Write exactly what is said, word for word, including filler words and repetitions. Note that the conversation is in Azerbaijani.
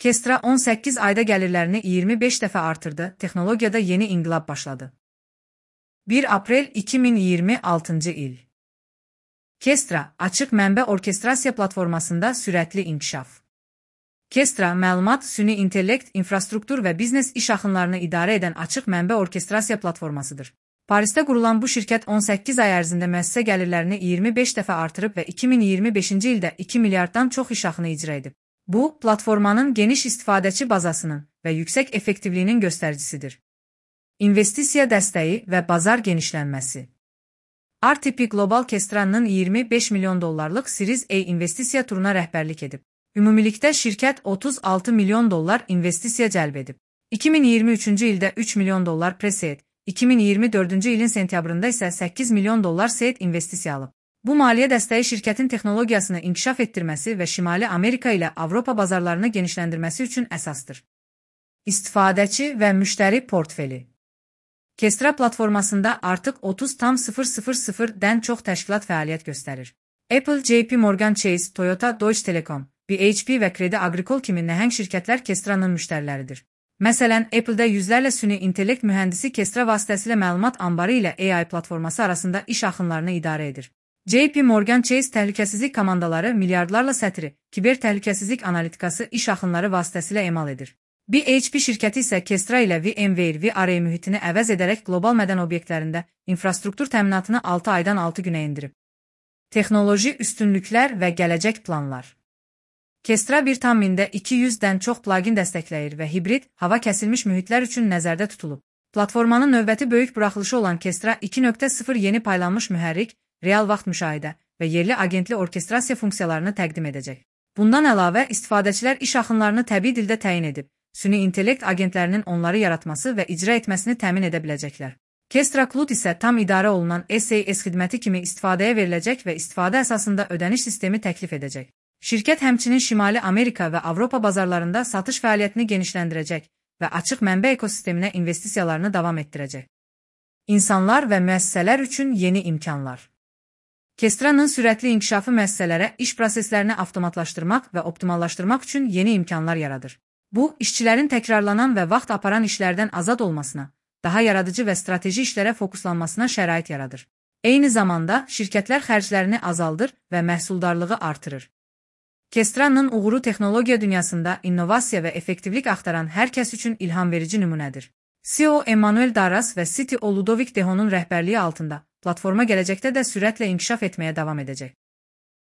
Kestra on səkkiz ayda gəlirlərini iyirmi beş dəfə artırdı, texnologiyada yeni inqilab başladı. bir aprel iki min iyirmi altıncı il. Kestra, açıq mənbə orkestrasiya platformasında sürətli inkişaf. Kestra, məlumat, süni intellekt, infrastruktur və biznes iş axınlarını idarə edən açıq mənbə orkestrasiya platformasıdır. Parisdə qurulan bu şirkət on səkkiz ay ərzində müəssisə gəlirlərini iyirmi beş dəfə artırıb və iki min iyirmi beşinci ildə iki milyarddan çox iş axını icra edib. Bu, platformanın geniş istifadəçi bazasının və yüksək effektivliyinin göstəricisidir. İnvestisiya dəstəyi və bazar genişlənməsi. R T P Global Kestra'nın iyirmi beş milyon dollarlıq Series A investisiya turuna rəhbərlik edib. Ümumilikdə şirkət otuz altı milyon dollar investisiya cəlb edib. iki min iyirmi üçüncü ildə üç milyon dollar pre-seed, iki min iyirmi dördüncü ilin sentyabrında isə səkkiz milyon dollar seed investisiya alıb. Bu maliyyə dəstəyi şirkətin texnologiyasını inkişaf etdirməsi və Şimali Amerika ilə Avropa bazarlarını genişləndirməsi üçün əsasdır. İstifadəçi və müştəri portfeli. Kestra platformasında artıq otuz nöqtə dən çox təşkilat fəaliyyət göstərir. Apple, J P Morgan Chase, Toyota, Deutsche Telekom, B H P və Credit Agricole kimi nəhəng şirkətlər Kestra'nın müştəriləridir. Məsələn, Apple-də yüzlərlə süni intellekt mühəndisi Kestra vasitəsilə məlumat anbarı ilə A I platforması arasında iş axınlarını idarə edir. J P Morgan Chase təhlükəsizlik komandaları milyardlarla sətri, kiber təhlükəsizlik analitikası iş axınları vasitəsilə emal edir. B H P şirkəti isə Kestra ilə VMware V R mühitini əvəz edərək qlobal mədən obyektlərində infrastruktur təminatını altı aydan altı günə endirib. Texnoloji üstünlüklər və gələcək planlar. Kestra bir tam mində iki yüzdən çox plugin dəstəkləyir və hibrid, hava kəsilmiş mühitlər üçün nəzərdə tutulub. Platformanın növbəti böyük buraxılışı olan Kestra iki nöqtə sıfır yeni paylanmış mühərrik, real vaxt müşahidə və yerli agentli orkestrasiya funksiyalarını təqdim edəcək. Bundan əlavə, istifadəçilər iş axınlarını təbii dildə təyin edib, süni intellekt agentlərinin onları yaratması və icra etməsini təmin edə biləcəklər. Kestra Cloud isə tam idarə olunan S A S xidməti kimi istifadəyə veriləcək və istifadə əsasında ödəniş sistemi təklif edəcək. Şirkət həmçinin Şimali Amerika və Avropa bazarlarında satış fəaliyyətini genişləndirəcək və açıq mənbə ekosisteminə investisiyalarını davam etdirəcək. İnsanlar və müəssisələr üçün yeni imkanlar. Kestra'nın sürətli inkişafı müəssisələrə iş proseslərini avtomatlaşdırmaq və optimallaşdırmaq üçün yeni imkanlar yaradır. Bu, işçilərin təkrarlanan və vaxt aparan işlərdən azad olmasına, daha yaradıcı və strateji işlərə fokuslanmasına şərait yaradır. Eyni zamanda, şirkətlər xərclərini azaldır və məhsuldarlığı artırır. Kestra'nın uğuru texnologiya dünyasında innovasiya və effektivlik axtaran hər kəs üçün ilham verici nümunədir. C E O Emmanuel Darras və C T O Ludovic Dehon'un rəhbərliyi altında platforma gələcəkdə də sürətlə inkişaf etməyə davam edəcək.